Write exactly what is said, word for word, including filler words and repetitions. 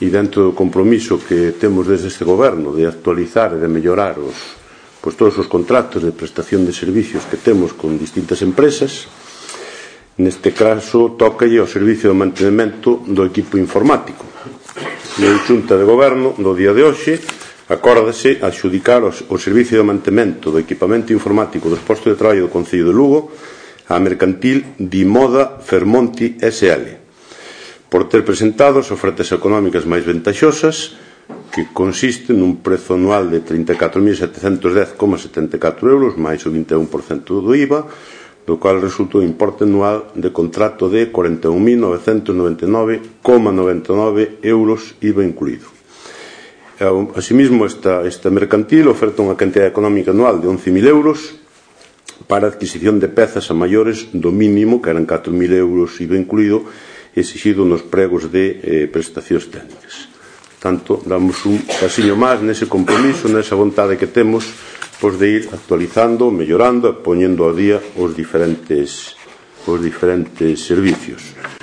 e dentro do compromiso que temos desde este goberno de actualizar e de mellorar os, pois, todos os contratos de prestación de servicios que temos con distintas empresas, neste caso tócalle ao servicio de mantenimento do equipo informático. E a Xunta de Goberno do día de hoxe acórdase adxudicar o servicio de mantemento do equipamento informático dos postos de traballo do Concello de Lugo á mercantil Dimoda Fermonti S L por ter presentado as ofertas económicas máis ventaxosas, que consisten nun prezo anual de trinta e catro mil setecentos dez coma setenta e catro euros máis o vinte e un por cento do I V A, do cual resulta un importe anual de contrato de cuarenta e un mil novecentos noventa e nove coma noventa e nove euros I V A incluído. Asimismo, esta, esta mercantil oferta unha cantidad económica anual de once mil euros para a adquisición de pezas a maiores do mínimo, que eran catro mil euros I V A incluído, exigido nos pregos de eh, prestacións técnicas. Tanto, damos un pasiño máis nese compromiso, nesa vontade que temos, pois, de ir actualizando, mellorando e poñendo ao día os diferentes, os diferentes servicios.